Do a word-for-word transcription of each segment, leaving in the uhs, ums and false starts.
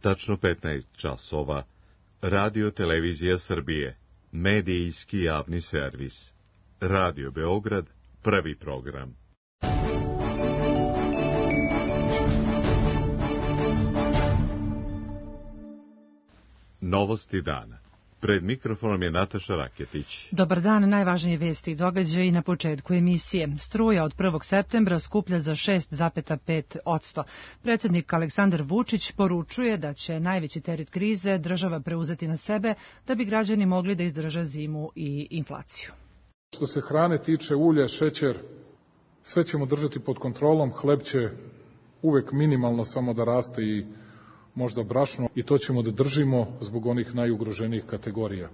Tačno petnaest časova. Radio Televizija Srbije. Medijski javni servis. Radio Beograd, prvi program. Novosti dana. Pred mikrofonom je Nataša Raketić. Dobar dan, najvažnije vesti i događaji na početku emisije. Struja od prvog septembra skuplja za šest zarez pet posto. Predsjednik Aleksandar Vučić poručuje da će najveći teret krize država preuzeti na sebe da bi građani mogli da izdrže zimu i inflaciju. Što se hrane tiče, ulje, šećer, sve ćemo držati pod kontrolom, hleb će uvek minimalno samo da raste i možda brašno, i to ćemo da držimo zbog onih najugroženijih kategorija.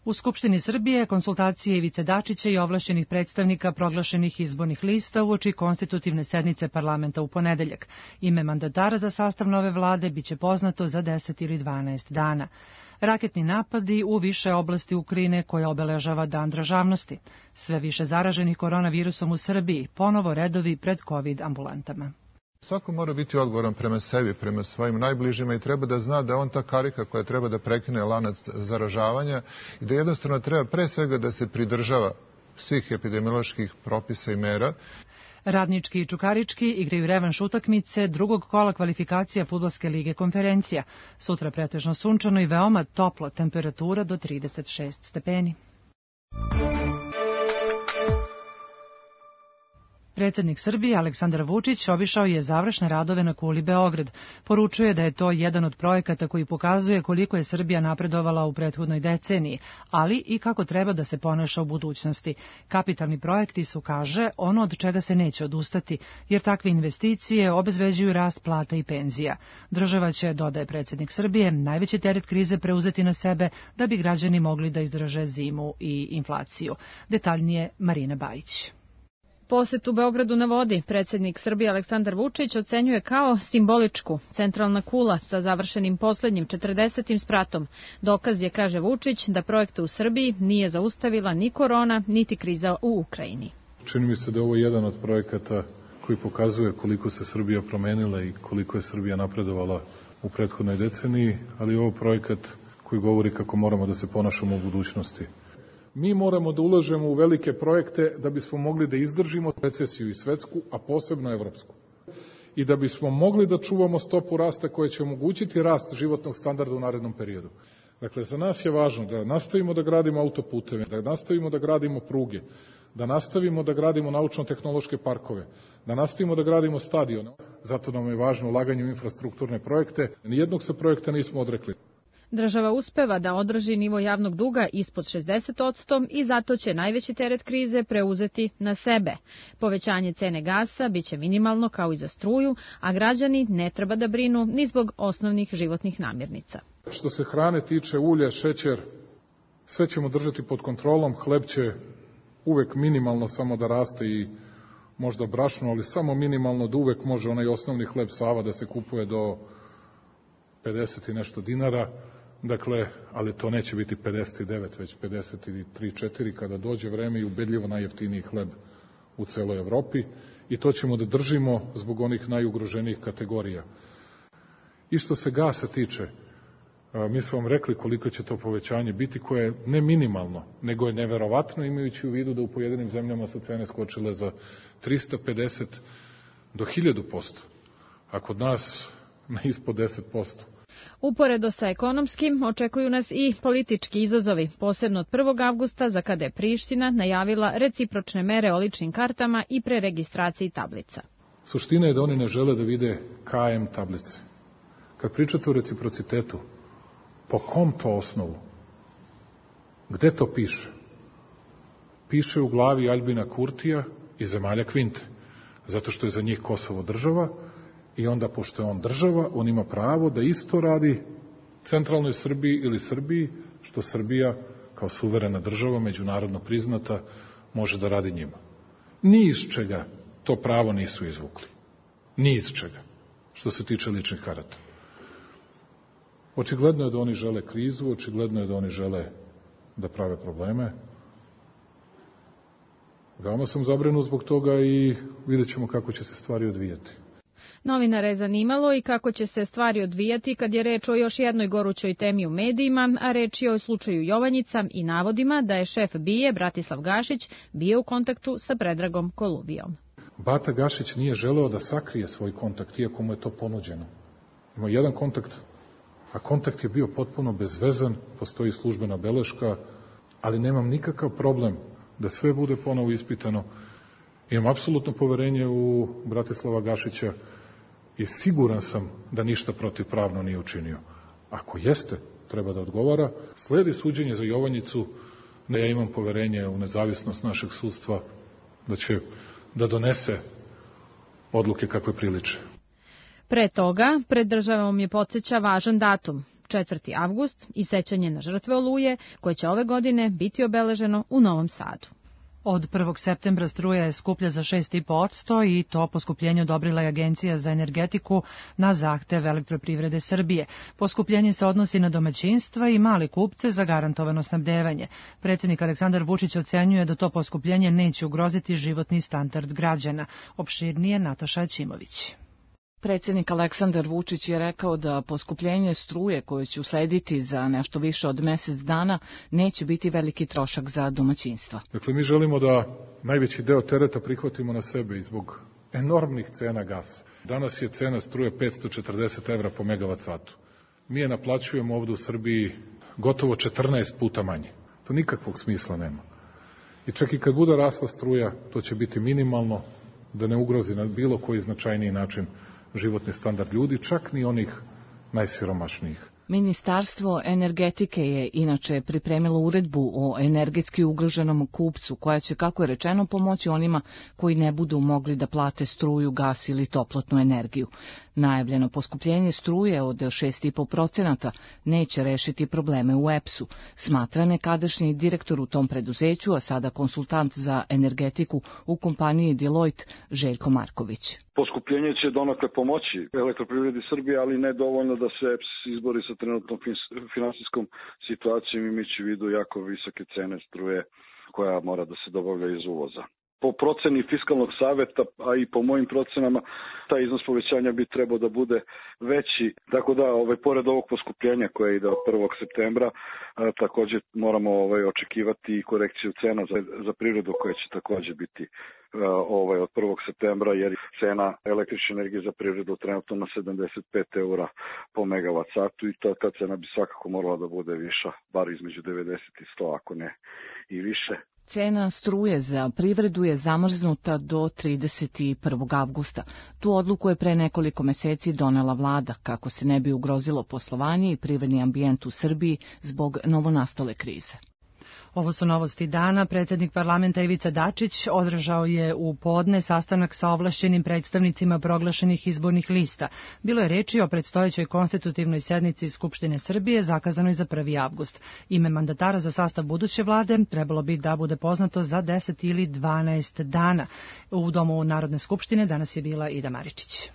U Skupštini Srbije konsultacije Ivice Dačića i ovlašćenih predstavnika proglašenih izbornih lista uoči konstitutivne sednice parlamenta u ponedeljak. Ime mandatara za sastav nove vlade biće poznato za deset ili dvanaest dana. Raketni napadi u više oblasti Ukrajine koja obeležava Dan državnosti. Sve više zaraženih koronavirusom u Srbiji, ponovo redovi pred COVID ambulantama. Svako mora biti odgovoran prema sebi, prema svojim najbližima i treba da zna da on ta karika koja treba da prekine lanac zaražavanja i da jednostavno treba pre svega da se pridržava svih epidemioloških propisa i mera. Radnički i Čukarički igraju revanš utakmice drugog kola kvalifikacija Fudbalske lige Konferencija. Sutra pretežno sunčano i veoma toplo, temperatura do trideset šest stepeni. Predsjednik Srbije Aleksandar Vučić obišao je završne radove na kuli Beograd. Poručuje da je to jedan od projekata koji pokazuje koliko je Srbija napredovala u prethodnoj deceniji, ali i kako treba da se ponaša u budućnosti. Kapitalni projekti su, kaže, ono od čega se neće odustati, jer takve investicije obezbeđuju rast plata i penzija. Država će, dodaje predsjednik Srbije, najveći teret krize preuzeti na sebe da bi građani mogli da izdrže zimu i inflaciju. Detaljnije Marina Bajić. Poset u Beogradu na vodi predsjednik Srbije Aleksandar Vučić ocenjuje kao simboličku. Centralna kula sa završenim poslednjim četrdesetim spratom. Dokaz je, kaže Vučić, da projekte u Srbiji nije zaustavila ni korona, niti kriza u Ukrajini. Čini mi se da je ovo jedan od projekata koji pokazuje koliko se Srbija promenila i koliko je Srbija napredovala u prethodnoj deceniji, ali je ovo projekat koji govori kako moramo da se ponašamo u budućnosti. Mi moramo da ulažemo u velike projekte da bismo mogli da izdržimo recesiju i svetsku, a posebno evropsku. I da bismo mogli da čuvamo stopu rasta koja će omogućiti rast životnog standarda u narednom periodu. Dakle, za nas je važno da nastavimo da gradimo autoputeve, da nastavimo da gradimo pruge, da nastavimo da gradimo naučno-tehnološke parkove, da nastavimo da gradimo stadione. Zato nam je važno ulaganje u infrastrukturne projekte. Nijednog se projekta nismo odrekli. Država uspeva da održi nivo javnog duga ispod šezdeset posto i zato će najveći teret krize preuzeti na sebe. Povećanje cene gasa biće minimalno kao i za struju, a građani ne treba da brinu ni zbog osnovnih životnih namirnica. Što se hrane tiče, ulje, šećer, sve ćemo držati pod kontrolom, hleb će uvek minimalno samo da raste i možda brašno, ali samo minimalno, da uvek može onaj osnovni hleb Sava da se kupuje do pedeset i nešto dinara. Dakle, ali to neće biti pedeset devet, već pedeset tri četiri kada dođe vreme i ubedljivo najjeftiniji hleb u celoj Evropi. I to ćemo da držimo zbog onih najugroženijih kategorija. I što se gasa tiče, mi smo vam rekli koliko će to povećanje biti, koje je ne minimalno, nego je neverovatno, imajući u vidu da u pojedinim zemljama su cene skočile za trista pedeset do hiljadu posto, a kod nas na ispod deset posto. Uporedo sa ekonomskim, očekuju nas i politički izazovi, posebno od prvog avgusta, za kada je Priština najavila recipročne mere o ličnim kartama i preregistraciji tablica. Suština je da oni ne žele da vide K M tablice. Kad pričate o reciprocitetu, po kom to osnovu? Gde to piše? Piše u glavi Aljbina Kurtija i zemalja Kvinte, zato što je za njih Kosovo država. I onda, pošto je on država, on ima pravo da isto radi centralnoj Srbiji ili Srbiji, što Srbija, kao suverena država, međunarodno priznata, može da radi njima. Ni iz čega to pravo nisu izvukli. Ni iz čega, što se tiče ličnih karata. Očigledno je da oni žele krizu, očigledno je da oni žele da prave probleme. Veoma sam zabrinut zbog toga i vidjet ćemo kako će se stvari odvijati. Novinara je zanimalo i kako će se stvari odvijati kad je reč o još jednoj gorućoj temi u medijima, a reč je o slučaju Jovanjica i navodima da je šef B I A Bratislav Gašić bio u kontaktu sa Predragom Koluvijom. Bata Gašić nije želeo da sakrije svoj kontakt, iako mu je to ponuđeno. Imao jedan kontakt, a kontakt je bio potpuno bezvezan, postoji službena beleška, ali nemam nikakav problem da sve bude ponovo ispitano. Imam apsolutno poverenje u Bratislava Gašića i siguran sam da ništa protivpravno nije učinio. Ako jeste, treba da odgovara. Sledi suđenje za Jovanjicu, da ja imam poverenje u nezavisnost našeg sudstva, da će da donese odluke kakve priliče. Pre toga, pred državom je podsjeća važan datum, četvrti avgust i sećanje na žrtve Oluje, koje će ove godine biti obeleženo u Novom Sadu. Od prvog septembra struja je skuplja za šest zarez pet posto i to poskupljenje odobrila je Agencija za energetiku na zahtev Elektroprivrede Srbije. Poskupljenje se odnosi na domaćinstva i male kupce za garantovano snabdevanje. Predsjednik Aleksandar Vučić ocenjuje da to poskupljenje neće ugroziti životni standard građana. Opširnije Nataša Ćimović. Predsjednik Aleksandar Vučić je rekao da poskupljenje struje koje će uslediti za nešto više od mesec dana neće biti veliki trošak za domaćinstva. Dakle, mi želimo da najveći deo tereta prihvatimo na sebe i zbog enormnih cena gasa. Danas je cena struje petsto četrdeset evra po megavat satu. Mi je naplaćujemo ovdje u Srbiji gotovo četrnaest puta manje. To nikakvog smisla nema. I čak i kad bude rasla struja, to će biti minimalno, da ne ugrozi na bilo koji značajniji način životni standard ljudi, čak ni onih najsiromašnijih. Ministarstvo energetike je inače pripremilo uredbu o energetski ugroženom kupcu, koja će, kako je rečeno, pomoći onima koji ne budu mogli da plate struju, gas ili toplotnu energiju. Najavljeno poskupljenje struje od šest zarez pet posto neće rešiti probleme u E P S-u, smatra nekadašnji direktor u tom preduzeću, a sada konsultant za energetiku u kompaniji Deloitte Željko Marković. Poskupljenje će donekle pomoći Elektroprivredi Srbije, ali ne dovoljno da se E P S izbori sa trenutnom finansijskom situacijom, imajući u vidu jako visoke cene struje koja mora da se dobavlja iz uvoza. Po proceni Fiskalnog saveta, a i po mojim procenama, taj iznos povećanja bi trebao da bude veći. Tako da, ovaj, pored ovog poskupljenja koje ide od prvog septembra, a, također moramo ovaj, očekivati i korekciju cena za, za privredu koja će također biti a, ovaj, od prvog septembra, jer cena električne energije za privredu trenutno na sedamdeset pet eura po megavat satu i ta, ta cena bi svakako morala da bude viša, bar između devedeset i sto, ako ne i više. Cena struje za privredu je zamrznuta do trideset prvog avgusta. Tu odluku je pre nekoliko meseci donela vlada, kako se ne bi ugrozilo poslovanje i privredni ambijent u Srbiji zbog novonastale krize. Ovo su novosti dana. Predsjednik parlamenta Ivica Dačić održao je u podne sastanak sa ovlašćenim predstavnicima proglašenih izbornih lista. Bilo je reči o predstojećoj konstitutivnoj sednici Skupštine Srbije zakazanoj za prvi avgust. Ime mandatara za sastav buduće vlade trebalo bi da bude poznato za deset ili dvanaest dana. U Domu Narodne skupštine danas je bila Ida Maričić.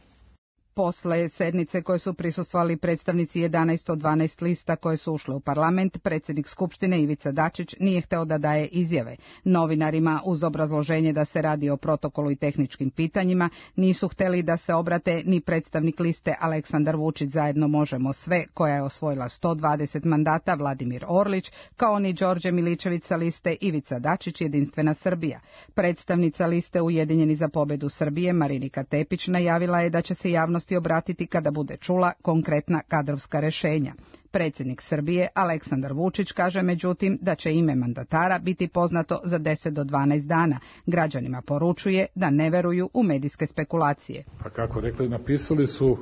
Posle sednice koje su prisustvovali predstavnici jedanaest od dvanaest lista koje su ušle u parlament, predsjednik Skupštine Ivica Dačić nije hteo da daje izjave. Novinarima, uz obrazloženje da se radi o protokolu i tehničkim pitanjima, nisu hteli da se obrate ni predstavnik liste Aleksandar Vučić zajedno možemo sve, koja je osvojila sto dvadeset mandata, Vladimir Orlić, kao ni Đorđe Miličević sa liste Ivica Dačić Jedinstvena Srbija. Predstavnica liste Ujedinjeni za pobedu Srbije, Marinika Tepić, najavila je da će se javnost obratiti kada bude čula konkretna kadrovska rešenja. Predsjednik Srbije Aleksandar Vučić kaže međutim da će ime mandatara biti poznato za deset do dvanaest dana. Građanima poručuje da ne veruju u medijske spekulacije. Pa kako rekli, napisali su,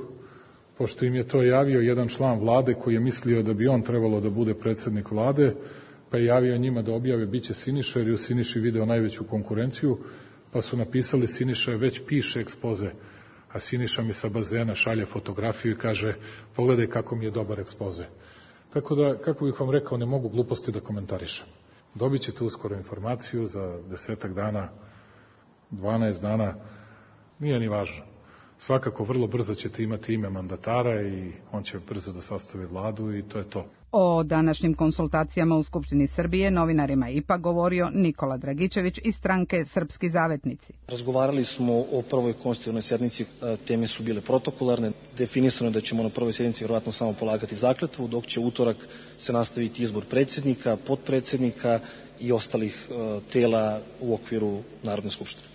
pošto im je to javio jedan član vlade koji je mislio da bi on trebalo da bude predsjednik vlade, pa je javio njima da objave biće Siniša, jer je u Siniši video najveću konkurenciju, pa su napisali Siniša već piše ekspoze. A Siniša mi sa bazena šalje fotografiju i kaže pogledaj kako mi je dobar ekspoze. Tako da, kako bih vam rekao, ne mogu gluposti da komentarišem. Dobit ćete uskoro informaciju za desetak dana, dvanaest dana, nije ni važno. Svakako vrlo brzo ćete imati ime mandatara i on će brzo da sastavi vladu i to je to. O današnjim konsultacijama u Skupštini Srbije novinarima ipak govorio Nikola Dragičević iz stranke Srpski zavetnici. Razgovarali smo o prvoj konstitutivnoj sjednici, teme su bile protokolarne, definisano je da ćemo na prvoj sjednici vjerovatno samo polagati zakletvu, dok će utorak se nastaviti izbor predsjednika, potpredsjednika i ostalih tela u okviru Narodne skupštine.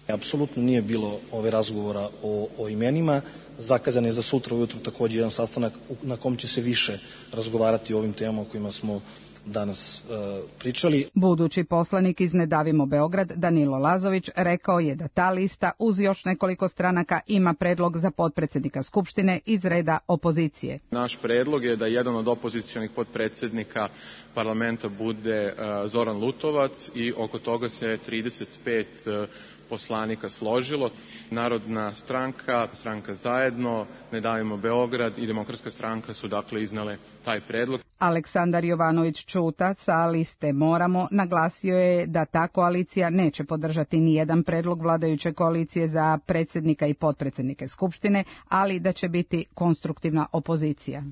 Apsolutno nije bilo ove razgovora o, o imenima. Zakazan je za sutra ujutru također jedan sastanak na kom će se više razgovarati o ovim temama o kojima smo danas e, pričali. Budući poslanik iz Ne davimo Beograd, Danilo Lazović, rekao je da ta lista uz još nekoliko stranaka ima predlog za potpredsjednika Skupštine iz reda opozicije. Naš predlog je da jedan od opozicionih potpredsjednika parlamenta bude uh, Zoran Lutovac i oko toga se trideset pet uh, poslanika složilo. Narodna stranka, stranka Zajedno, Ne davimo Beograd i Demokratska stranka su dakle iznale taj predlog. Aleksandar Jovanović Čuta sa liste Moramo naglasio je da ta koalicija neće podržati ni jedan predlog vladajuće koalicije za predsjednika i potpredsjednike Skupštine, ali da će biti konstruktivna opozicija.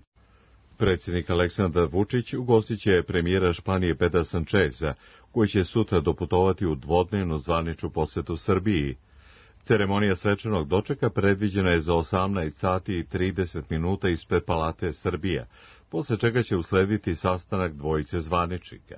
Predsjednik Aleksandar Vučić ugostit će premijera Španije Pedra Sancheza, koji će sutra doputovati u dvodnevnu zvaničnu posjetu Srbiji. Ceremonija svečanog dočeka predviđena je za osamnaest sati i trideset minuta ispred Palate Srbija, posle čega će uslediti sastanak dvojice zvaničnika.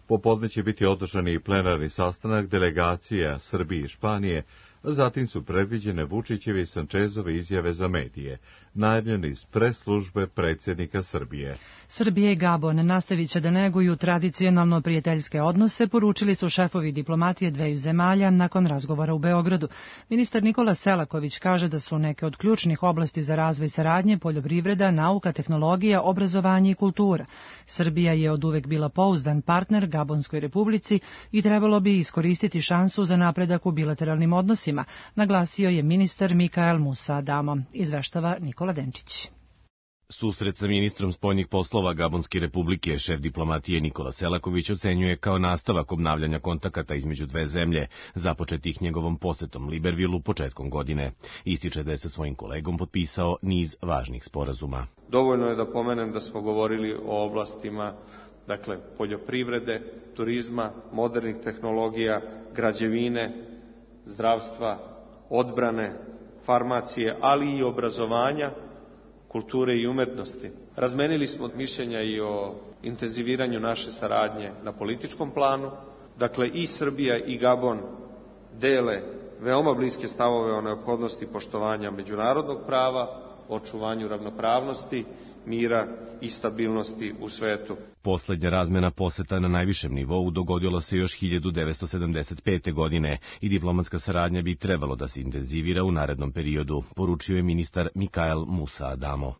Popodne će biti održan i plenarni sastanak delegacija Srbije i Španije, a zatim su predviđene Vučićeve i Sančezove izjave za medije, najavljene iz pres službe predsjednika Srbije. Srbija i Gabon nastavit će da neguju tradicionalno prijateljske odnose, poručili su šefovi diplomatije dveju zemalja nakon razgovora u Beogradu. Ministar Nikola Selaković kaže da su neke od ključnih oblasti za razvoj saradnje poljoprivreda, nauka, tehnologija, obrazovanje i kultura. Srbija je oduvek bila pouzdan partner Gabonskoj republici i trebalo bi iskoristiti šansu za napredak u bilateralnim odnosima, naglasio je ministar Mikael Musa Adamo, izveštava Nikola Denčić. Susret sa ministrom spoljnih poslova Gabonske republike šef diplomatije Nikola Selaković ocenjuje kao nastavak obnavljanja kontakata između dve zemlje, započetih njegovom posetom Libervilu početkom godine. Ističe da je sa svojim kolegom potpisao niz važnih sporazuma. Dovoljno je da pomenem da smo govorili o oblastima dakle, poljoprivrede, turizma, modernih tehnologija, građevine, zdravstva, odbrane, farmacije, ali i obrazovanja, kulture i umetnosti. Razmenili smo mišljenja i o intenziviranju naše saradnje na političkom planu. Dakle, i Srbija i Gabon dele veoma bliske stavove o neophodnosti poštovanja međunarodnog prava, očuvanju ravnopravnosti, mira i stabilnosti u svetu. Poslednja razmena poseta na najvišem nivou dogodilo se još hiljadu devetsto sedamdeset pete. godine i diplomatska saradnja bi trebalo da se intenzivira u narednom periodu, poručio je ministar Mikael Musa Adamo.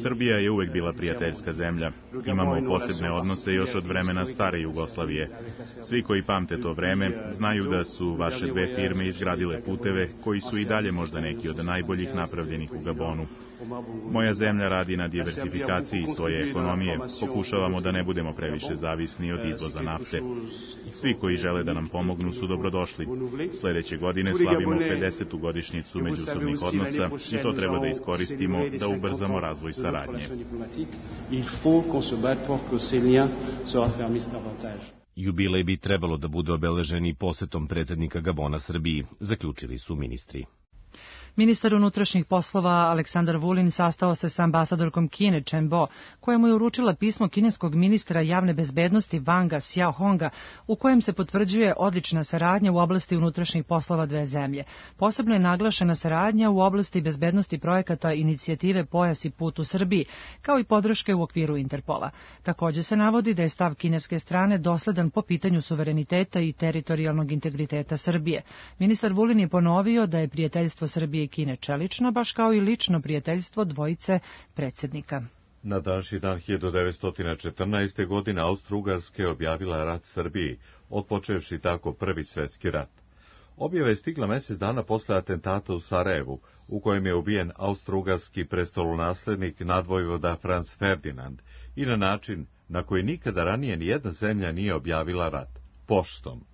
Srbija je uvek bila prijateljska zemlja. Imamo posebne odnose još od vremena stare Jugoslavije. Svi koji pamte to vreme znaju da su vaše dve firme izgradile puteve koji su i dalje možda neki od najboljih napravljenih u Gabonu. Moja zemlja radi na diversifikaciji svoje ekonomije. Pokušavamo da ne budemo previše zavisni od izvoza nafte. Svi koji žele da nam pomognu su dobrodošli. Sljedeće godine slavimo pedesetu godišnjicu međusobnih odnosa i to treba da iskoristimo da ubrzamo razvoj saradnje. Jubilej bi trebalo da bude obeležen i posetom predsjednika Gabona Srbiji, zaključili su ministri. Ministar unutrašnjih poslova Aleksandar Vulin sastao se sa ambasadorkom Kine Chen Bo, koja mu je uručila pismo kineskog ministra javne bezbednosti Wanga Xiaohonga, u kojem se potvrđuje odlična saradnja u oblasti unutrašnjih poslova dve zemlje. Posebno je naglašena saradnja u oblasti bezbednosti projekata inicijative Pojas i put u Srbiji, kao i podrške u okviru Interpola. Također se navodi da je stav kineske strane dosledan po pitanju suvereniteta i teritorijalnog integriteta Srbije. Ministar Vulin je ponovio da je prijateljstvo Srbije i Kine čelično, baš kao i lično prijateljstvo dvojice predsjednika. Na današnji dan hiljadu devetsto četrnaeste. godine Austro-Ugarska je objavila rat Srbiji, otpočevši tako Prvi svjetski rat. Objava je stigla mjesec dana posle atentata u Sarajevu, u kojem je ubijen austro-ugarski prestolonaslednik nadvojvoda Franz Ferdinand, i na način na koji nikada ranije nijedna zemlja nije objavila rat, poštom.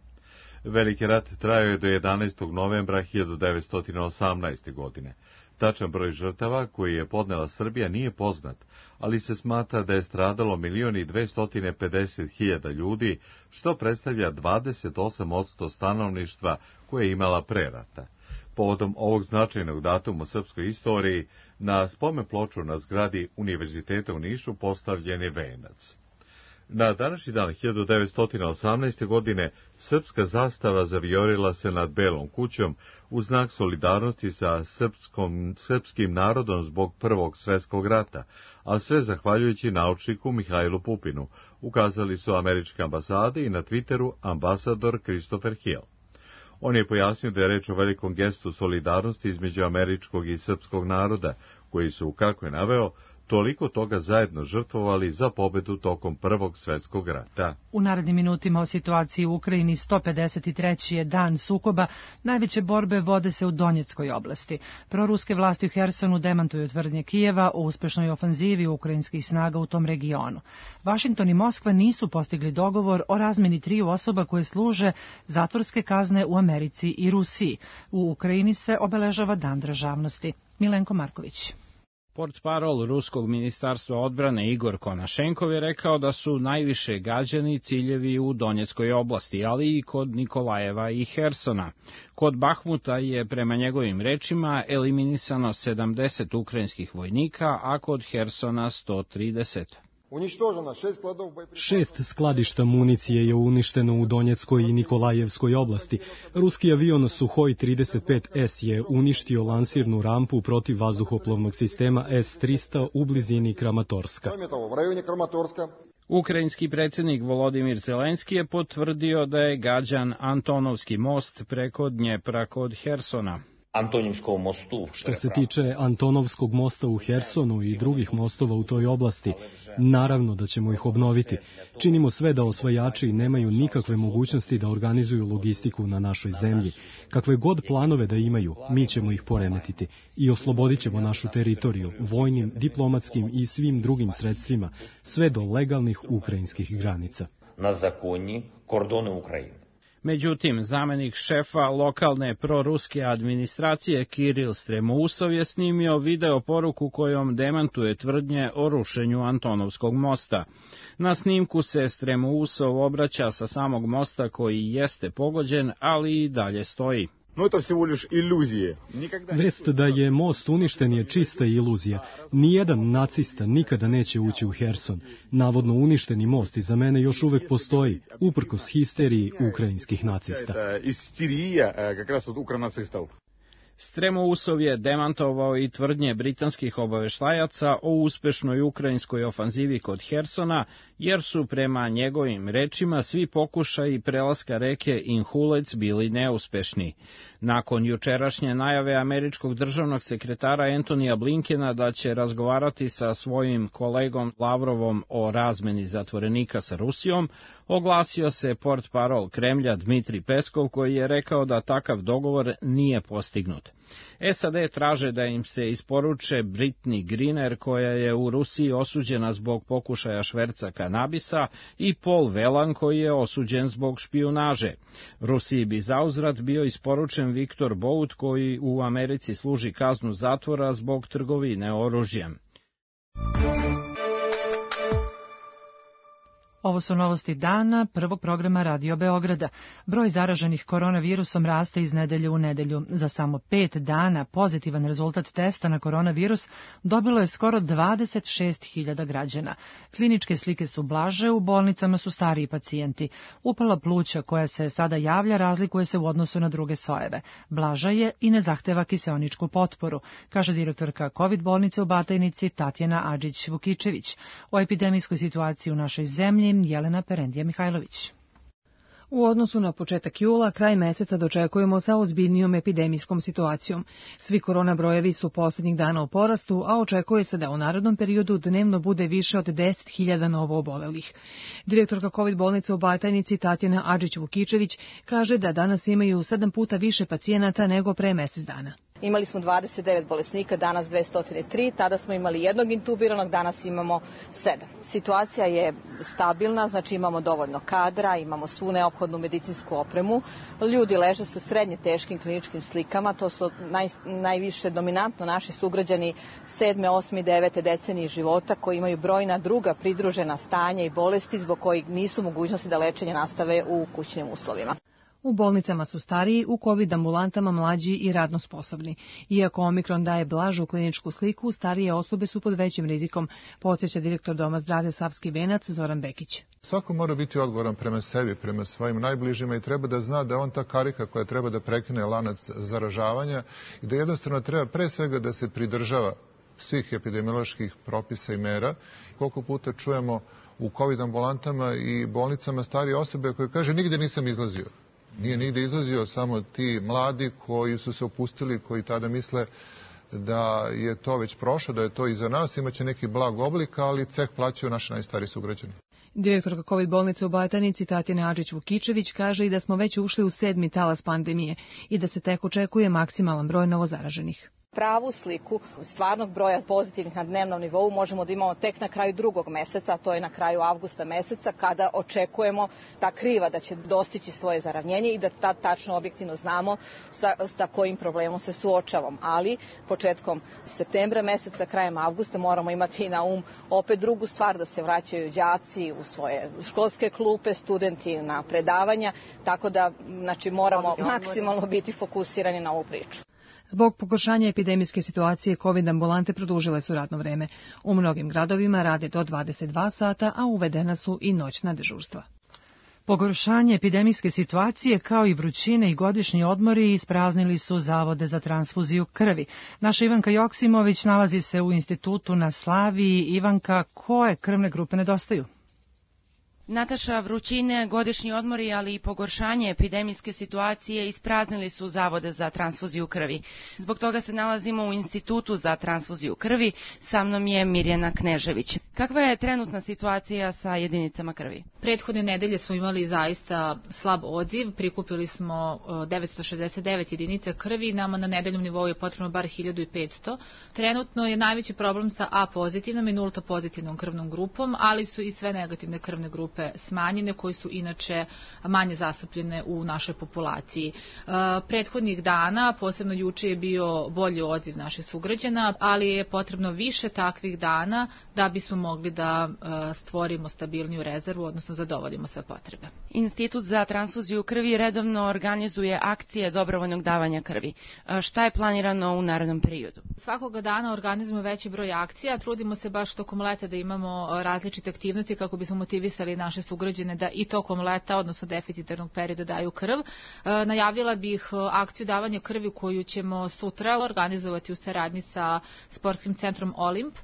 Veliki rat trajao je do jedanaestog novembra hiljadu devetsto osamnaeste. godine. Tačan broj žrtava koji je podnela Srbija nije poznat, ali se smatra da je stradalo milion i dvesta pedeset hiljada ljudi, što predstavlja dvadeset osam posto stanovništva koje je imala pre rata. Povodom ovog značajnog datuma u srpskoj istoriji, na spomen ploču na zgradi Univerziteta u Nišu postavljen je venac. Na današnji dan hiljadu devetsto osamnaeste. godine srpska zastava zavijorila se nad Belom kućom u znak solidarnosti sa srpskom, srpskim narodom zbog Prvog svjetskog rata, a sve zahvaljujući naučniku Mihajlu Pupinu, ukazali su američke ambasade i na Twitteru ambasador Christopher Hill. On je pojasnio da je reč o velikom gestu solidarnosti između američkog i srpskog naroda, koji su, kako je naveo, toliko toga zajedno žrtvovali za pobedu tokom Prvog svjetskog rata. U narednim minutima o situaciji u Ukrajini sto pedeset treći je dan sukoba, najveće borbe vode se u Donjeckoj oblasti. Proruske vlasti u Hersonu demantuju tvrdnje Kijeva o uspešnoj ofanzivi ukrajinskih snaga u tom regionu. Vašington i Moskva nisu postigli dogovor o razmeni triju osoba koje služe zatvorske kazne u Americi i Rusiji. U Ukrajini se obeležava Dan državnosti. Milenko Marković. Portparol Ruskog ministarstva odbrane Igor Konašenkov je rekao da su najviše gađani ciljevi u Donjeckoj oblasti, ali i kod Nikolajeva i Hersona. Kod Bahmuta je, prema njegovim rečima, eliminisano sedamdeset ukrajinskih vojnika, a kod Hersona sto trideset. Šest skladišta municije je uništeno u Donjeckoj i Nikolajevskoj oblasti. Ruski avion Suhoj trideset pet S je uništio lansirnu rampu protiv vazduhoplovnog sistema S trista u blizini Kramatorska. Ukrajinski predsjednik Volodimir Zelenski je potvrdio da je gađan Antonovski most preko Dnjepra kod Hersona. Što se tiče Antonovskog mosta u Hersonu i drugih mostova u toj oblasti, naravno da ćemo ih obnoviti. Činimo sve da osvajači nemaju nikakve mogućnosti da organizuju logistiku na našoj zemlji. Kakve god planove da imaju, mi ćemo ih poremetiti i oslobodit ćemo našu teritoriju vojnim, diplomatskim i svim drugim sredstvima, sve do legalnih ukrajinskih granica. Na zakonji kordone Ukrajine. Međutim, zamenik šefa lokalne proruske administracije Kiril Stremousov je snimio video poruku kojom demantuje tvrdnje o rušenju Antonovskog mosta. Na snimku se Stremousov obraća sa samog mosta koji jeste pogođen, ali i dalje stoji. No, to всего лишь iluzije. Vest da je most uništen je čista iluzija. Nijedan nacista nikada neće ući u Herson. Navodno uništeni most iza mene još uvek postoji, uprkos histeriji ukrajinskih nacista. Istirija, как раз od ukranacistov. Stremousov je demantovao i tvrdnje britanskih obaveštajaca o uspešnoj ukrajinskoj ofanzivi kod Hersona, jer su prema njegovim rečima svi pokušaji prelaska reke Inhulec bili neuspešni. Nakon jučerašnje najave američkog državnog sekretara Antonija Blinkena da će razgovarati sa svojim kolegom Lavrovom o razmeni zatvorenika sa Rusijom, oglasio se portparol Kremlja Dmitri Peskov, koji je rekao da takav dogovor nije postignut. S A D traže da im se isporuče Brittney Griner, koja je u Rusiji osuđena zbog pokušaja šverca kanabisa, i Paul Whelan, koji je osuđen zbog špijunaže. Rusiji bi zauzvrat bio isporučen Viktor Bout, koji u Americi služi kaznu zatvora zbog trgovine oružjem. Ovo su novosti dana prvog programa Radio Beograda. Broj zaraženih koronavirusom raste iz nedelje u nedelju. Za samo pet dana pozitivan rezultat testa na koronavirus dobilo je skoro dvadeset šest hiljada građana. Kliničke slike su blaže, u bolnicama su stariji pacijenti. Upala pluća koja se sada javlja razlikuje se u odnosu na druge sojeve. Blaža je i ne zahteva kiseoničku potporu, kaže direktorka COVID bolnice u Batajnici Tatjana Adžić-Vukičević. O epidemijskoj situaciji u našoj zemlji Jelena Perendija Mihajlović. U odnosu na početak jula, kraj meseca dočekujemo sa ozbiljnijom epidemijskom situacijom. Svi korona brojevi su posljednjih dana u porastu, a očekuje se da u narednom periodu dnevno bude više od deset hiljada novo obolelih. Direktorka COVID bolnice u Batajnici Tatjana Adžić-Vukičević kaže da danas imaju sedam puta više pacijenata nego pre mesec dana. imali smo dvadeset devet bolesnika, danas dvesta tri, tada smo imali jednog intubiranog, danas imamo sedam. Situacija je stabilna, znači imamo dovoljno kadra, imamo svu neophodnu medicinsku opremu, ljudi leže sa srednje teškim kliničkim slikama, to su naj, najviše dominantno naši sugrađani sedme, osme i devete decenije života koji imaju brojna druga pridružena stanja i bolesti zbog kojih nisu mogućnosti da lečenje nastave u kućnim uslovima. U bolnicama su stariji, u COVID ambulantama mlađi i radno sposobni. Iako Omikron daje blažu kliničku sliku, starije osobe su pod većim rizikom, podsjeća direktor Doma zdravlja Savski Venac Zoran Bekić. Svako mora biti odgovoran prema sebi, prema svojim najbližima i treba da zna da on ta karika koja treba da prekine lanac zaražavanja i da jednostavno treba pre svega da se pridržava svih epidemioloških propisa i mera. Koliko puta čujemo u COVID ambulantama i bolnicama starije osobe koje kaže nigde nisam izlazio. Nije nigde izlazio, samo ti mladi koji su se opustili, koji tada misle da je to već prošlo, da je to iza nas, imaće neki blag oblik, ali ceh plaćaju naši najstariji sugrađani. Direktorka COVID bolnice u Batajnici Tatjana Adžić-Vukičević kaže i da smo već ušli u sedmi talas pandemije i da se tek očekuje maksimalan broj novozaraženih. Pravu sliku stvarnog broja pozitivnih na dnevnom nivou možemo da imamo tek na kraju drugog meseca, a to je na kraju avgusta meseca, kada očekujemo ta kriva da će dostići svoje zaravnjenje i da tad tačno objektivno znamo sa, sa kojim problemom se suočavamo. Ali početkom septembra meseca, krajem avgusta moramo imati na um opet drugu stvar, da se vraćaju đaci u svoje školske klupe, studenti na predavanja, tako da znači, moramo maksimalno biti fokusirani na ovu priču. Zbog pogoršanja epidemijske situacije, COVID ambulante produžile su radno vreme. U mnogim gradovima rade do dvadeset dva sata, a uvedena su i noćna dežurstva. Pogoršanje epidemijske situacije kao i vrućine i godišnji odmori ispraznili su zavode za transfuziju krvi. Naša Ivanka Joksimović nalazi se u institutu na Slaviji. Ivanka, koje krvne grupe nedostaju? Nataša, vrućine, godišnji odmori, ali i pogoršanje epidemijske situacije ispraznili su zavode za transfuziju krvi. Zbog toga se nalazimo u Institutu za transfuziju krvi. Sa mnom je Mirjana Knežević. Kakva je trenutna situacija sa jedinicama krvi? Prethodne nedelje smo imali zaista slab odziv. Prikupili smo devetsto šezdeset devet jedinica krvi. Nama na nedeljnom nivou je potrebno bar hiljadu i petsto. Trenutno je najveći problem sa A pozitivnom i nulta pozitivnom krvnom grupom, ali su i sve negativne krvne grupe smanjene, koji su inače manje zastupljene u našoj populaciji. Prethodnih dana, posebno juče, je bio bolji odziv naših sugrađana, ali je potrebno više takvih dana da bismo mogli da stvorimo stabilniju rezervu, odnosno zadovoljimo sve potrebe. Institut za transfuziju krvi redovno organizuje akcije dobrovoljnog davanja krvi. Šta je planirano u narednom periodu? Svakoga dana organizujemo veći broj akcija, trudimo se baš tokom leta da imamo različite aktivnosti kako bismo motivisali naše sugrađane da i tokom leta, odnosno deficitarnog perioda, daju krv. E, najavila bih akciju davanja krvi koju ćemo sutra organizovati u saradnji sa sportskim centrom Olimp. E,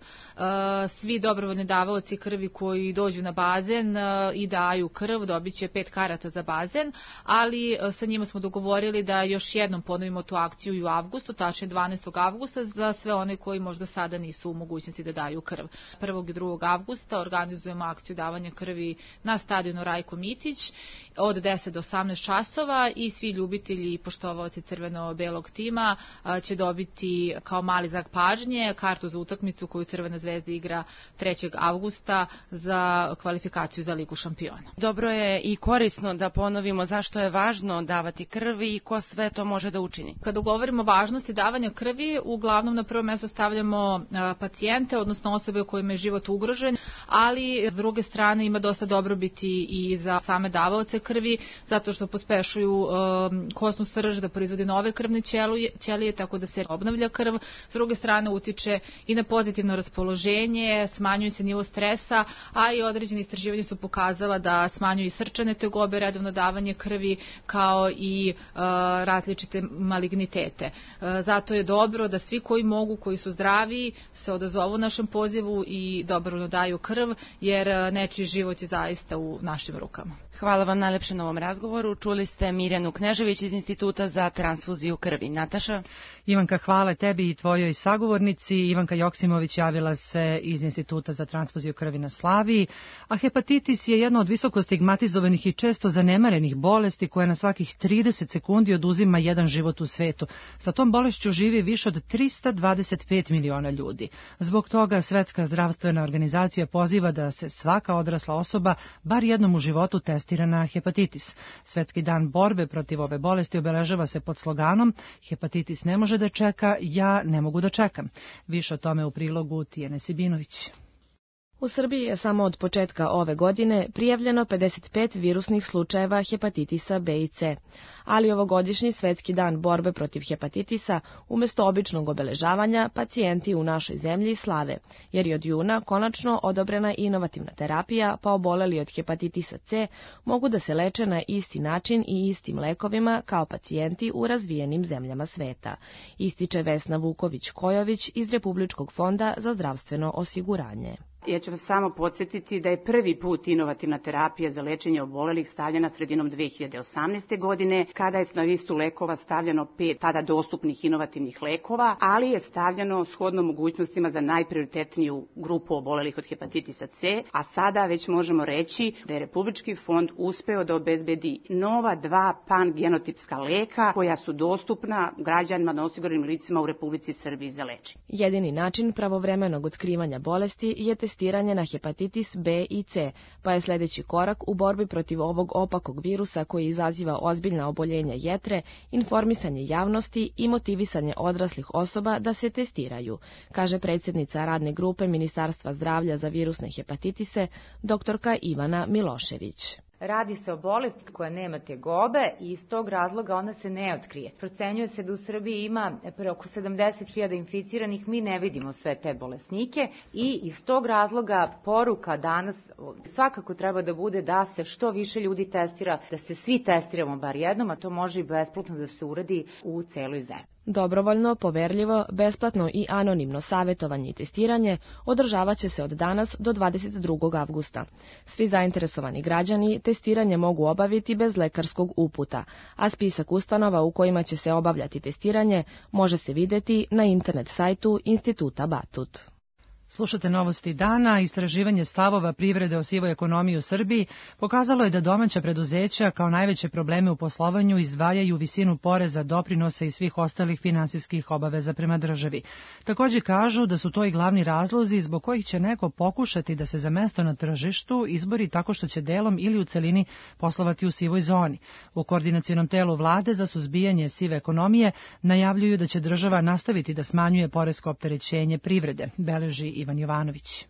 svi dobrovoljni davaoci krvi koji dođu na bazen e, i daju krv dobit će pet karata za bazen, ali e, sa njima smo dogovorili da još jednom ponovimo tu akciju i u avgustu, tačnije dvanaestog avgusta, za sve one koji možda sada nisu u mogućnosti da daju krv. prvog i drugog avgusta organizujemo akciju davanja krvi na stadionu Rajko Mitić od deset do osamnaest časova i svi ljubitelji i poštovaoci crveno-belog tima će dobiti kao mali znak pažnje kartu za utakmicu koju Crvena zvezda igra trećeg avgusta za kvalifikaciju za Ligu šampiona. Dobro je i korisno da ponovimo zašto je važno davati krvi i ko sve to može da učini. Kada govorimo o važnosti davanja krvi, uglavnom na prvo mesto stavljamo pacijente, odnosno osobe u kojima je život ugrožen, ali s druge strane ima dosta dobrobiti i za same davaoce krvi, zato što pospešuju um, kosnu srž da proizvodi nove krvne ćelije, ćelije, tako da se obnavlja krv. S druge strane utiče i na pozitivno raspoloženje, smanjuje se nivo stresa, a i određene istraživanja su pokazala da smanjuje i srčane tegobe, redovno davanje krvi, kao i uh, različite malignitete. Uh, zato je dobro da svi koji mogu, koji su zdravi, se odazovu našem pozivu i dobrovoljno daju krv, jer uh, nečiji život je zaista u našim rukama. Hvala vam najlepše na ovom razgovoru. Čuli ste Mirjanu Knežević iz Instituta za transfuziju krvi. Nataša? Ivanka, hvala tebi i tvojoj sagovornici. Ivanka Joksimović javila se iz Instituta za transfuziju krvi na Slaviji, a hepatitis je jedna od visoko stigmatizovanih i često zanemarenih bolesti koja na svakih trideset sekundi oduzima jedan život u svetu. Sa tom bolešću živi više od trista dvadeset pet miliona ljudi. Zbog toga Svetska zdravstvena organizacija poziva da se svaka odrasla osoba bar jednom u životu testira na hepatitis. Svetski dan borbe protiv ove bolesti obeležava se pod sloganom "Hepatitis ne može da čeka, ja ne mogu da čekam". Više o tome u prilogu Tijene Sibinović. U Srbiji je samo od početka ove godine prijavljeno pedeset pet virusnih slučajeva hepatitisa B i C, ali ovogodišnji Svetski dan borbe protiv hepatitisa umjesto običnog obeležavanja pacijenti u našoj zemlji slave, jer je od juna konačno odobrena inovativna terapija, pa oboleli od hepatitisa C mogu da se leče na isti način i istim lekovima kao pacijenti u razvijenim zemljama sveta, ističe Vesna Vuković-Kojović iz Republičkog fonda za zdravstveno osiguranje. Ja ću vas samo podsjetiti da je prvi put inovativna terapija za lečenje obolelih stavljena sredinom dve hiljade osamnaeste. godine, kada je na listu lekova stavljeno pet tada dostupnih inovativnih lekova, ali je stavljeno shodno mogućnostima za najprioritetniju grupu obolelih od hepatitisa C, a sada već možemo reći da je Republički fond uspeo da obezbedi nova dva pangenotipska leka koja su dostupna građanima na osiguranim licima u Republici Srbiji za lečenje. Jedini način pravovremenog otkrivanja bolesti je testiranje na hepatitis B i C, pa je sljedeći korak u borbi protiv ovog opakog virusa koji izaziva ozbiljna oboljenja jetre, informisanje javnosti i motivisanje odraslih osoba da se testiraju, kaže predsjednica radne grupe Ministarstva zdravlja za virusne hepatitise, doktorka Ivana Milošević. Radi se o bolesti koja nema tegobe i iz tog razloga ona se ne otkrije. Procenjuje se da u Srbiji ima oko sedamdeset hiljada inficiranih, mi ne vidimo sve te bolesnike i iz tog razloga poruka danas svakako treba da bude da se što više ljudi testira, da se svi testiramo bar jednom, a to može i besplatno da se uradi u celoj zemlji. Dobrovoljno, poverljivo, besplatno i anonimno savjetovanje i testiranje održavat će se od danas do dvadeset drugog avgusta. Svi zainteresovani građani testiranje mogu obaviti bez lekarskog uputa, a spisak ustanova u kojima će se obavljati testiranje može se vidjeti na internet sajtu Instituta Batut. Slušate novosti dana. Istraživanje stavova privrede o sivoj ekonomiji u Srbiji pokazalo je da domaća preduzeća kao najveće probleme u poslovanju izdvajaju visinu poreza, doprinosa i svih ostalih finansijskih obaveza prema državi. Također kažu da su to i glavni razlozi zbog kojih će neko pokušati da se za mesto na tržištu izbori tako što će delom ili u celini poslovati u sivoj zoni. U koordinacionom telu vlade za suzbijanje sive ekonomije najavljuju da će država nastaviti da smanjuje poresko opterećenje privrede, beleži Ivan Jovanović.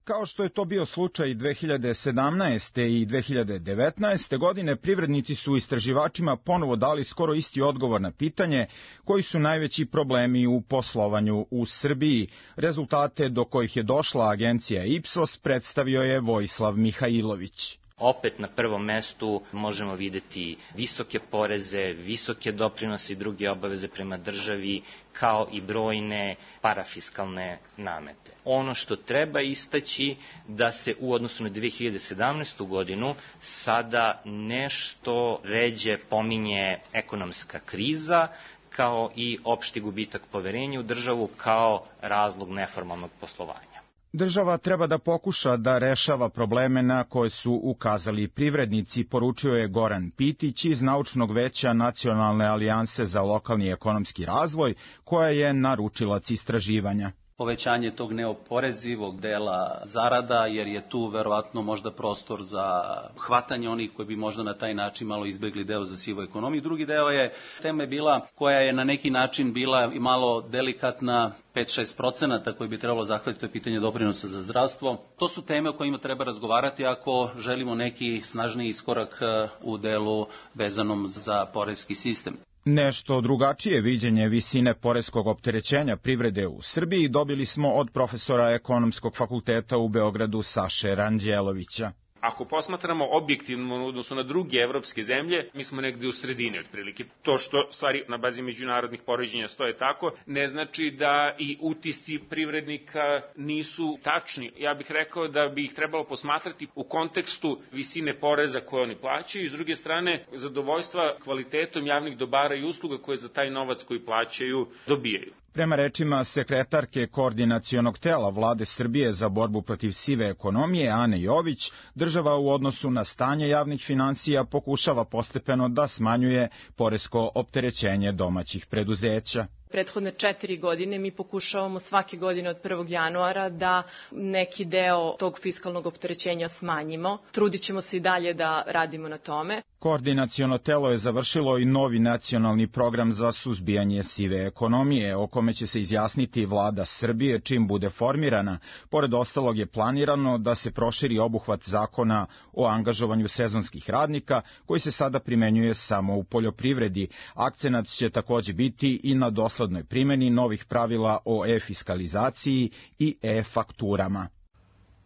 Kao što je to bio slučaj dve hiljade sedamnaeste. i dve hiljade devetnaeste. godine, privrednici su istraživačima ponovo dali skoro isti odgovor na pitanje koji su najveći problemi u poslovanju u Srbiji. Rezultate do kojih je došla agencija Ipsos predstavio je Vojislav Mihajlović. Opet na prvom mestu možemo videti visoke poreze, visoke doprinose i druge obaveze prema državi, kao i brojne parafiskalne namete. Ono što treba istaći da se u odnosu na dve hiljade sedamnaestu. godinu sada nešto ređe pominje ekonomska kriza, kao i opšti gubitak poverenja u državu kao razlog neformalnog poslovanja. Država treba da pokuša da rešava probleme na koje su ukazali privrednici, poručio je Goran Pitić iz Naučnog veća Nacionalne alijanse za lokalni ekonomski razvoj, koja je naručilac istraživanja. Povećanje tog neoporezivog dela zarada, jer je tu verovatno možda prostor za hvatanje onih koji bi možda na taj način malo izbegli deo za sivu ekonomiju. Drugi deo je, tema je bila koja je na neki način bila i malo delikatna, pet do šest procenata koji bi trebalo zahvatiti, to je pitanje doprinosa za zdravstvo. To su teme o kojima treba razgovarati ako želimo neki snažniji iskorak u delu vezanom za poreski sistem. Nešto drugačije viđenje visine poreskog opterećenja privrede u Srbiji dobili smo od profesora Ekonomskog fakulteta u Beogradu Saše Ranđelovića. Ako posmatramo objektivno odnosno na druge evropske zemlje, mi smo negde u sredini otprilike. To što stvari na bazi međunarodnih poređenja stoje tako, ne znači da i utisci privrednika nisu tačni. Ja bih rekao da bi ih trebalo posmatrati u kontekstu visine poreza koje oni plaćaju i s druge strane zadovoljstva kvalitetom javnih dobara i usluga koje za taj novac koji plaćaju dobijaju. Prema rečima sekretarke koordinacionog tela Vlade Srbije za borbu protiv sive ekonomije Ane Jović, država u odnosu na stanje javnih finansija pokušava postepeno da smanjuje poresko opterećenje domaćih preduzeća. Prethodne četiri godine mi pokušavamo svake godine od prvog januara da neki deo tog fiskalnog opterećenja smanjimo. Trudit ćemo se i dalje da radimo na tome. Koordinaciono telo je završilo i novi nacionalni program za suzbijanje sive ekonomije, o kome će se izjasniti Vlada Srbije čim bude formirana. Pored ostalog je planirano da se proširi obuhvat zakona o angažovanju sezonskih radnika, koji se sada primenjuje samo u poljoprivredi. Akcenat će takođe biti i na doslednoj primeni novih pravila o e-fiskalizaciji i e-fakturama.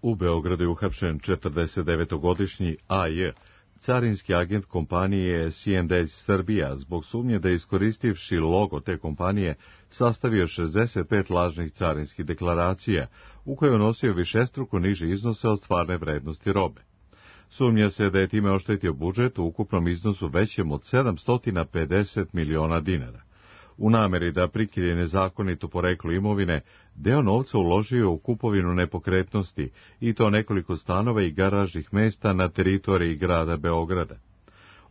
U Beogradu je uhapšen četrdesetdevetogodišnji A J, carinski agent kompanije C and A Srbija, zbog sumnje da je iskoristivši logo te kompanije sastavio šezdeset pet lažnih carinskih deklaracija, u koje je unosio višestruko niže iznose od stvarne vrednosti robe. Sumnja se da je time oštetio budžet u ukupnom iznosu većem od sedamsto pedeset miliona dinara. U nameri da prikrije nezakonito poreklo imovine, deo novca uložio u kupovinu nepokretnosti, i to nekoliko stanova i garažnih mesta na teritoriji grada Beograda.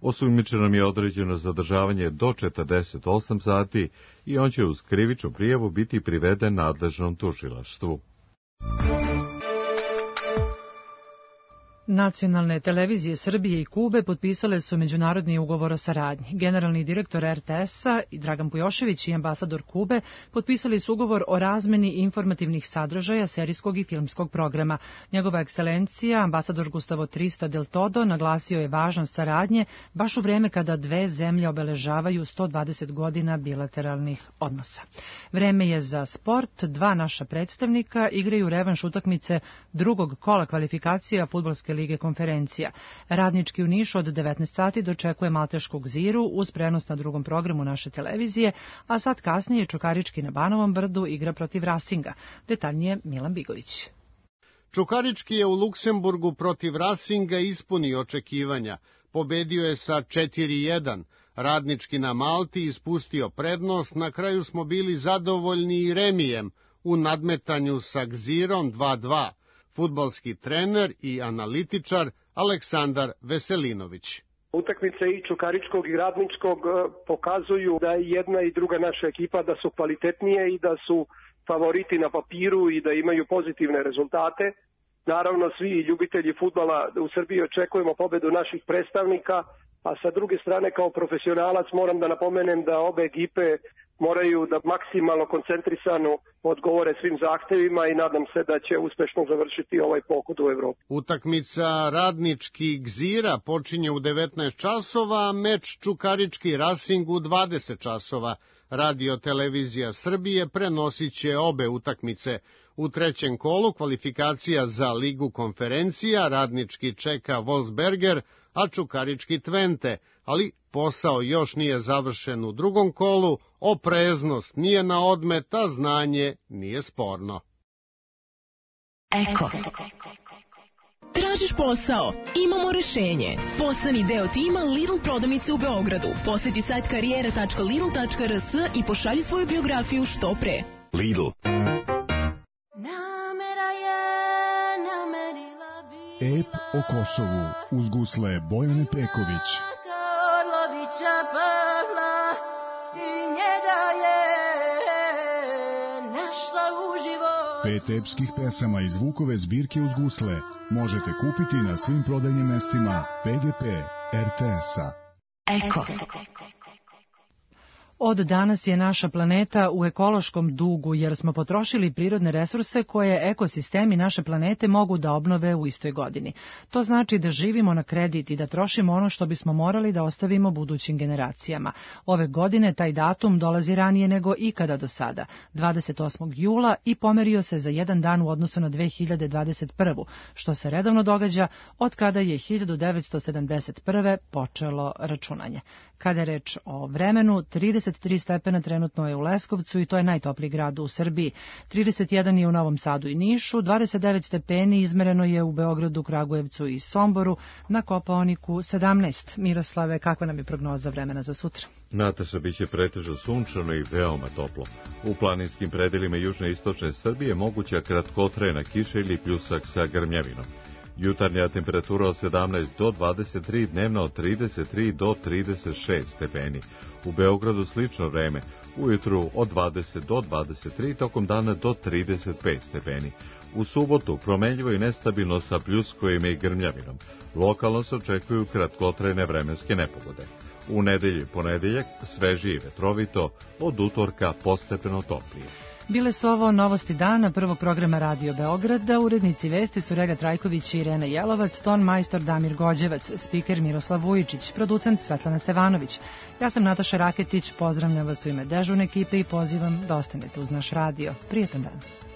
Osumnjičenom je određeno zadržavanje do četrdeset osam sati i on će uz krivičnu prijavu biti priveden nadležnom tužilaštvu. Nacionalne televizije Srbije i Kube potpisale su međunarodni ugovor o saradnji. Generalni direktor R T S-a Dragan Pujošević i ambasador Kube potpisali su ugovor o razmeni informativnih sadržaja serijskog i filmskog programa. Njegova ekscelencija, ambasador Gustavo Trista del Todo, naglasio je važnost saradnje baš u vreme kada dve zemlje obeležavaju sto dvadeset godina bilateralnih odnosa. Vreme je za sport. Dva naša predstavnika igraju revanš utakmice drugog kola kvalifikacija fudbalske lige konferencija. Radnički u Nišu od devetnaest sati dočekuje Malteškog Ziru uz prenos na drugom programu naše televizije, a sad kasnije Čukarički na Banovom brdu igra protiv Rasinga. Detaljnije Milan Bigović. Čukarički je u Luksemburgu protiv Rasinga ispunio očekivanja. Pobedio je sa četiri jedan. Radnički na Malti ispustio prednost, na kraju smo bili zadovoljni i remijem u nadmetanju sa Gzirom dva dva. Fudbalski trener i analitičar Aleksandar Veselinović. Utakmice i Čukaričkog i Radničkog pokazuju da je jedna i druga naša ekipa da su kvalitetnije i da su favoriti na papiru i da imaju pozitivne rezultate. Naravno, svi ljubitelji fudbala u Srbiji očekujemo pobedu naših predstavnika, a sa druge strane kao profesionalac moram da napomenem da obe ekipe moraju da maksimalno koncentrisano odgovore svim zahtevima i nadam se da će uspešno završiti ovaj pohod u Evropu. Utakmica Radnički Gzira počinje u devetnaest časova, a meč Čukarički Racing u dvadeset časova. Radio televizija Srbije prenosit će obe utakmice. U trećem kolu kvalifikacija za Ligu konferencija Radnički čeka Wolfsberger, a Čukarički Twente, ali posao još nije završen u drugom kolu, opreznost nije na odmet, a znanje nije sporno. Eko. Tražiš posao? Imamo rešenje. Postani deo tima Lidl prodavnice u Beogradu. Poseti sajt karijera tačka lidl tačka r s i pošalji svoju biografiju što pre. Lidl. Ep o Kosovu uz gusle Bojane Peković. Pet epskih pesama iz Vukove zbirke uz gusle možete kupiti na svim prodajnim mestima P G P R T S-a. Eko. Od danas je naša planeta u ekološkom dugu jer smo potrošili prirodne resurse koje ekosistemi naše planete mogu da obnove u istoj godini. To znači da živimo na kredit i da trošimo ono što bismo morali da ostavimo budućim generacijama. Ove godine taj datum dolazi ranije nego ikada do sada, dvadeset osmog jula, i pomerio se za jedan dan u odnosu na dve hiljade dvadeset prvu, što se redovno događa od kada je hiljadu devetsto sedamdeset prve počelo računanje. Kada je reč o vremenu, trideset tri stepena trenutno je u Leskovcu i to je najtopliji grad u Srbiji. trideset jedan je u Novom Sadu i Nišu, dvadeset devet stepeni izmereno je u Beogradu, Kragujevcu i Somboru, na Kopaoniku sedamnaest. Miroslave, kakva nam je prognoza vremena za sutra? Nataša, biće pretežno sunčano i veoma toplo. U planinskim predelima južne i istočne Srbije moguća kratkotrajna kiša ili pljusak sa grmljavinom. Jutarnja temperatura od sedamnaest do dvadeset tri, dnevna od trideset tri do trideset šest stepeni. U Beogradu slično vreme, ujutru od dvadeset do dvadeset tri, tokom dana do trideset pet stepeni. U subotu promenljivo i nestabilno sa pljuskovima i grmljavinom. Lokalno se očekuju kratkotrajne vremenske nepogode. U nedelji ponedeljak svežije i vetrovito, od utorka postepeno toplije. Bile su ovo novosti dana prvog programa Radio Beograda. Urednici vesti su Rega Trajković i Irena Jelovac, ton majstor Damir Gođevac, spiker Miroslav Vujičić, producent Svetlana Stevanović. Ja sam Nataša Raketić, pozdravljam vas u ime dežurne ekipe i pozivam da ostanete uz naš radio. Prijetan dan.